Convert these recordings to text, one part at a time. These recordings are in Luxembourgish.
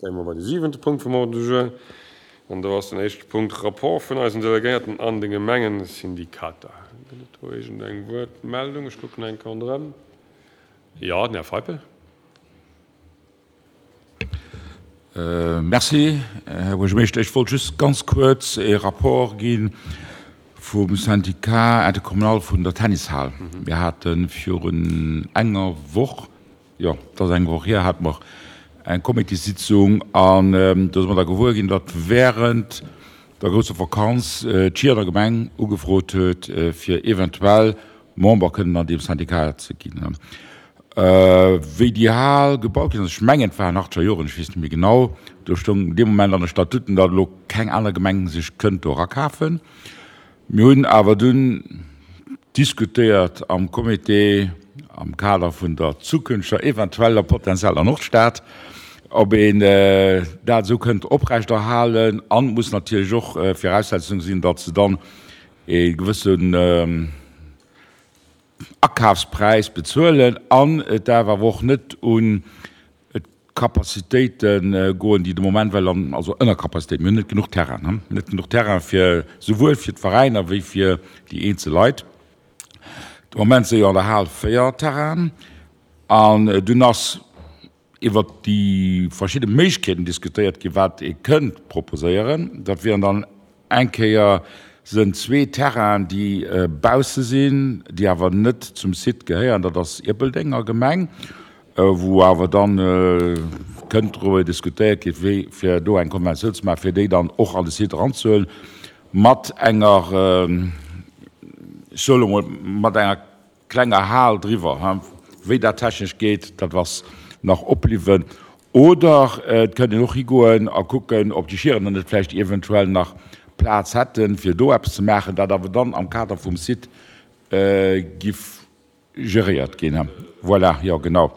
Zéie mer bei de siwente Punkt vum Ordre du jour. An do ass den éischte Punkt Rapport vun eisen Delegéierten an de Gemengesyndikater. Gëtt et do iergendeng Wuertmeldung? Ech kucken eng Kéier ronderëm. Jo, den Här Feipel. Merci, Här Buergermeeschter. Ech wollt just ganz kuerz e Rapport gi vum Syndicat intercommunal vun der Tennishal. Mir hate virun enger Woch, jo, et ass eng Woch hier, hate mer eng Comitéssitzung an do si mer da gewuer ginn, datt während der grousser Vakanz d'Schierener Gemeng ugefrot huet, fir eventuell Member kënnen an deem Syndicat ze ginn. Wéi déi Hal gebaut ginn ass, ech mengen et waren achtzeger Joren, ech weess net méi genau, do stoung dee Moment an de Statuten, datt elo keng aner Gemeng sech kënnt do erakafen. Mir hunn awer dunn diskutéiert am Comité, am Kader vun der zukünfteger eventueller potenzieller Nordstad, ob een dat esou kënnt oprechterhalen. An et muss natierlech och Viraussetzung sinn, datt se dann ee gewëssen Akafspräis bezuelen an et däerf awer och net un d'Capacitéite goen, déi de Moment well an, also Ënnercapacitéiten, mir hunn net genuch Terrain, net genuch Terrain fir souwuel fir d'Veräiner wéi fir déi eenzel Leit. De Moment si jo an der Hal 4 Terrainen an dunn ass iwwert déi verschidde Méiglechkeeten diskutéiert ginn, wat ee kënnt proposéieren. Dat wieren dann eng Kéier sënn zwee Terrainen, déi bausse sinn, déi awer net zum Site gehéieren. Dat ass Ierpeldeng a Gemeng, wou awer dann kënnt driwwer diskutéiert ginn, wéi fir do eng Konventioun ze maachen, fir déi dann och an de Site eranzehuelen, mat enger, ech soe lo mol, mat enger Klenger Hal driwwer. Wéi dat technesch geet, dat ass nach opbliwwen. Oder et kënnt een och higoen a kucken, ob déi Schierener net vläicht eventuell nach Plaz hätten, fir do eppes ze maachen, dat awer dann am Kader vum Site giff geréiert ginn. Voilà, jo genau.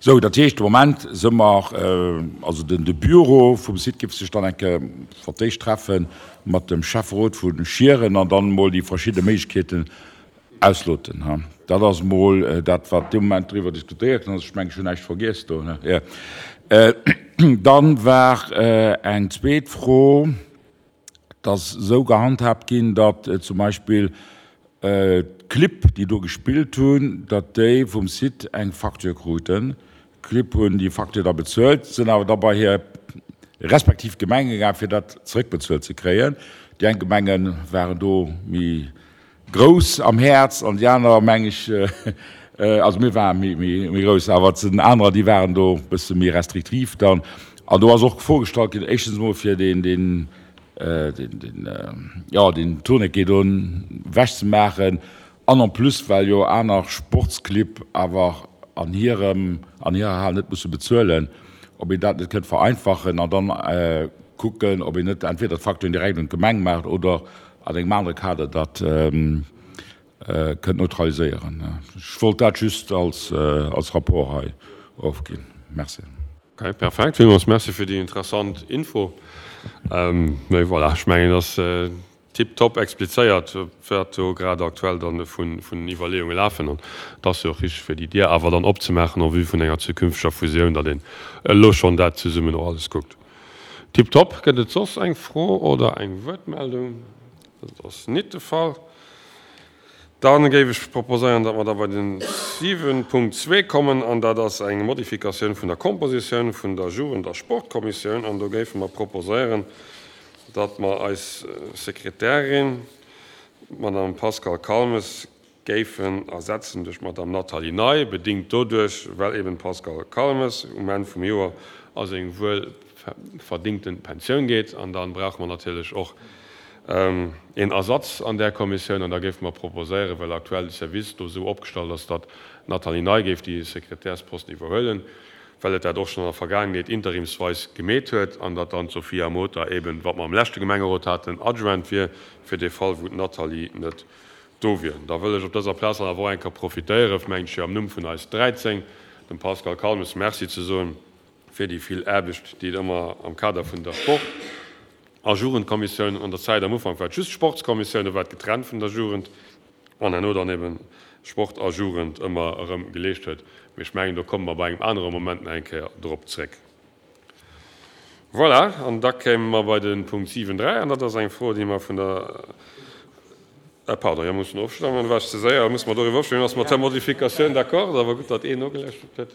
Sou, dat heescht, de Moment si mer, also den de Bureau vum Site giff sech dann eng Kéier fir d'éischt treffe mat dem Schäfferot vu Schieren an dann emol déi verschidde Méiglechkeeten Ausloten, ha. Dat ass emol dat, wat dee Moment driwwer diskutéiert ginn ass. Ech mengen, ech hunn näischt vergiess do, ne? Jo. Dann war eng zweet Fro, Et ass esou gehandhaabt ginn, datt zum Beispill d'Clibb, déi do gespillt hunn, datt déi vum Site eng Facture kruten. D'Clibb hunn déi Facture da bezuelt, sinn awer da bei hir respektiv Gemenge gaang, fir dat zeréckbezuelt ze kréien. Déi eng Gemenge waren do méi Grouss am Häerz an déi aner meng ech, also mir ware méi grouss, awer et sinn anerer, déi waren do e bësse méi restriktiv dann. An do ass och d'Fro gestallt ginn, éischtens emol fir deen, deen, deen, jo, deen Tourniquet do ewechzemaachen an en plus, well jo aner Sportsclibb awer an hirem, an hirer Hal net musse bezuelen, ob een dat net kënnt vereinfachen an dann kucken, ob een net entweder d'Facturen direkt un d'Gemeng maacht oder An engem anere Kader dat kënnt neutraliséieren. Ech wollt dat just als Rapport hei ofginn. Merci. Ok, perfekt. Villmools Merci fir déi interessant Info. Mee voilà, ech mengen, et ass tiptop explizéiert, wat do grad aktuell dann vun Iwwerleeunge lafen. An et ass jo och richteg, fir déi Dier awer dann opzemaachen en vue vun enger zukünfteger Fusioun, datt een elo schonn dat zesummen och alles kuckt. Tiptop. Gëtt et soss eng Fro oder eng Wuertmeldung? Dat ass nit de Fall. Da géif ech proposéieren, datt mer da bei den 7.2 kommen, an dat ass eng Modifikatioun vun der Kompositioun vun der Jugend a Sportkommissioun. An do géife mer proposéieren, datt mer eis Sekretärin, d'Madame Pascale Calmes, géifen ersetzen duerch d'Madame Nathalie Ney, bedingt doduerch, well eben d'Pascale Calmes um Enn vum Joer a seng wuel verdingten Pensioun geet. An da brauche mer natierlech och een Ersatz an där Kommissioun. An da géife mer proposéieren, well aktuell de Service do esou opgestallt ass, datt d'Nathalie Ney géif déi Sekretärsposten iwwerhuelen, well et dat och schonn an der Vergaangenheet interimsweis gemeet huet, an datt dann d'Sophia Mota eben, wat mer am leschte Gemengerot haten, Adjointe wier, fir dee Fall wou d'Nathalie net Do wier. Da wëll ech op dëser Plaz dann awer och eng Kéier profitéieren, mengen ech, fir am Numm vun eis 13 dem Pascal Calmes Merci ze soen fir déi vill Aarbecht, déi et ëmmer am Kader vun der Sport a Jugendkommissioun, an der Zäit am Ufank war et just Sportskommissioun, do war et getrennt vun der Jugend, an herno dann eben Sport a Jugend ëmmer erëm geleescht huet. Mee ech mengen, do komme mer bei engem anere Moment nach eng Kéier drop zréck. Voilà, an da kéime mer bei de Punkt 7, 3, an dat ass eng Fro, déi mer vun der, pardon, jo, mussen ofstëmmen, war ech ze séier, musse mer doriwwer ofstëmmen, ass mat der Modifikatioun d'accord? Awer gutt, datt een nogelauschtert huet.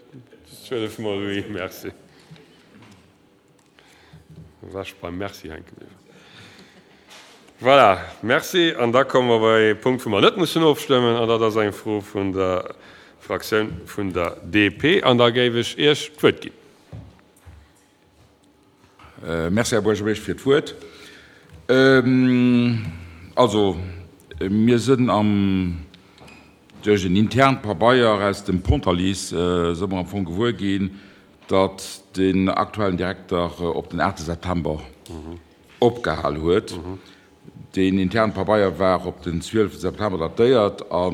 12 mol oui, merci. War ech beim Merci hänke bliwwen. Voilà, merci. An da komme mer bei ee Punkt, wou mer net mussen ofstëmmen, an dat ass eng Fro vun der Fraktioun vun der DP. An da géif ech Iech d'Wuert ginn. Merci, Här Buergermeeschter, fir d'Wuert. Also, mir sënn am, duerch en internt Pabeier aus dem Pontalice së mer am Fong gewuer ginn, datt den aktuellen Direkter op den 8 September opgehal huet. Deen interne Pabeier war op den 12 September datéiert a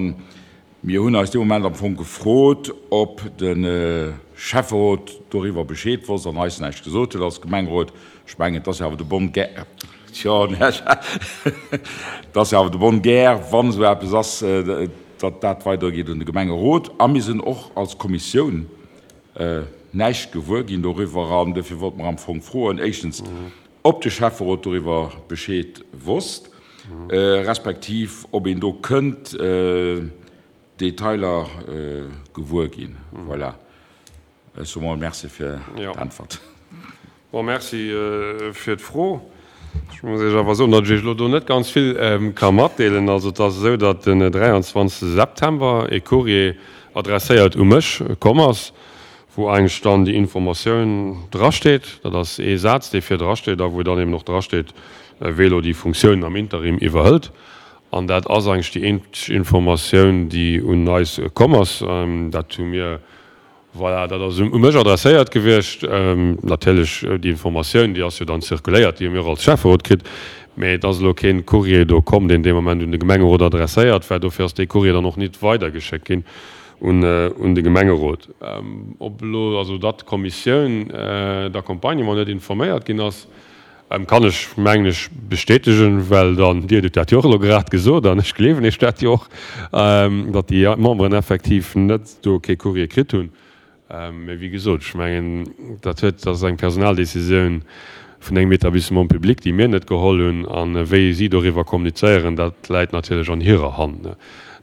mir hunn eis dee Moment am Fong gefrot, ob de Schäfferot doriwwer Bescheed wosst an eis näischt gesot huet als Gemengerot. Ech mengen, et ass jo awer de bonne guerre, et ass jo awer de bonne guerre, wann esou eppes ass, datt dat weidergeet un de Gemengerot. A mir sinn och als Kommissioun näischt gewuer ginn doriwwer an dofir wollte mer am Fong froen, éischtens, ob de Schäfferot doriwwer Bescheed wosst, respektiv ob een do kënnt Detailer gewuer ginn. Voilà, ech soe mol Merci fir d'Äntwert. Bon, Merci fir d'Fro. Ech muss Iech awer soen, datt ech Iech elo do net ganz vill ka matdeelen. Also et ass esou, datt den 23 September e Courrier adresséiert u mech komm ass, wou eigentlech dann déi Informatioun drasteet. Dat ass ee Saz, dee vir drasteet a wou dann eben och drasteet, wee elo déi Funktioun am Interim iwwerhëlt. An dat ass eigentlech déi eenzeg Informatioun, déi un eis komm ass. Dat hu mir Voilà, dat ass u mech adresséiert gewiescht. Natierlech, déi Informatioun, déi ass jo dann zirkuléiert, déi hu mir och als Schäfferot kritt. Mä et ass elo keen Courrier do komm, deen dee Moment un de Gemengerot adresséiert war. Dofir ass dee Courrier dann och nit weidergeschéckt ginn un de Gemengerot. Ob elo also datt d'Kommissioun d'accompagnement net informéiert ginn ass, Kann ech, mengen ech, bestätegen, well dann, Dir hutt dat jo och elo grad gesot an ech gleewen Iech dat jo och, datt déi Memberen effektiv net do kee Courrier kritt hunn. Mä wéi gesot, ech mengen, dat huet, dat ass eng Personaldecisioun vun engem Établissement public, déi mir net geholl hunn. A wéi si doriwwer kommunizéieren, dat läit natierlech an hirer Hand.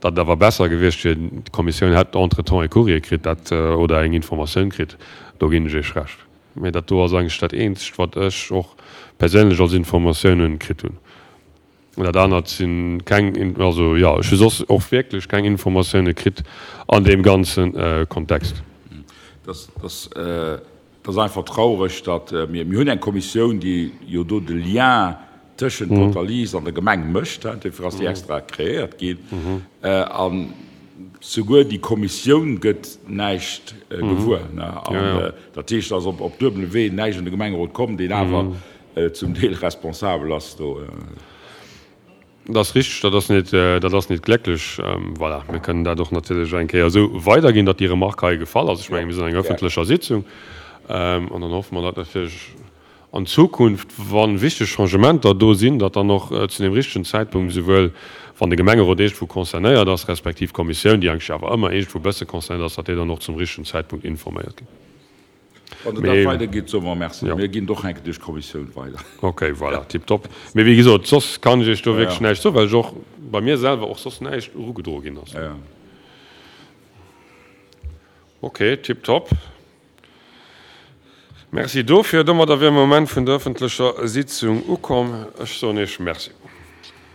Datt et awer besser gewiescht wier, d'Kommissioun hätt entretemps e Courrier kritt, dat, oder eng Informatioun kritt, do ginn ech Iech Recht. Mee dat do ass eigentlech dat eenzegt, wat ech och perséinlech als Informatiounen kritt hunn. Dat anert si keng, also jo, ech hu soss och wierklech keng Informatioune kritt an deem ganze Kontext. Dat ass einfach traureg, datt mir, mir hunn eng Kommissioun, déi jo do de Lien tëschent Pontalize an der Gemeng mécht, dofir ass déi extra kreéiert ginn, a souguer déi Kommissioun gëtt näischt gewuer. An dat heescht, dass op duebelem Wee näischt un de Gemengerot komm, deen awer zum Deel responsabel ass do. Dat ass richteg, dat ass net, dat ass net glécklech. Voilà, mir kënnen dat och natierlech eng Kéier esou weiderginn, datt déi Remarque hei gefall ass. Ech menge mir sinn an enger ëffentlecher Sitzung an dann hoffe mer, datt natierlech an Zukunft, wa wichteg Changementer do sinn, datt dann och zu deem richtegen Zäitpunkt, esouwuel wann de Gemengerot iergendwou concernéiert ass, respektiv d'Kommissioun, déi eigentlech awer ëmmer iergendwou e bësse concernéiert ass, datt déi dann och zum richtegen Zäitpunkt informéiert ginn. Wann Der dat weidergitt, soe mer Merci. Mir ginn et och eng Kéier duerch d'Kommissioun weider. Okay, voilà, tiptop. Mee wéi gesot, soss kann ech Iech do wierklech näischt soen, well ech och bei mir selwer och soss näischt erugedroe ginn ass. Okay, tiptop. Merci dofir. Domadder wier mer um Enn vun der ëffentlecher Sitzung ukomm. Ech soen Iech Merci.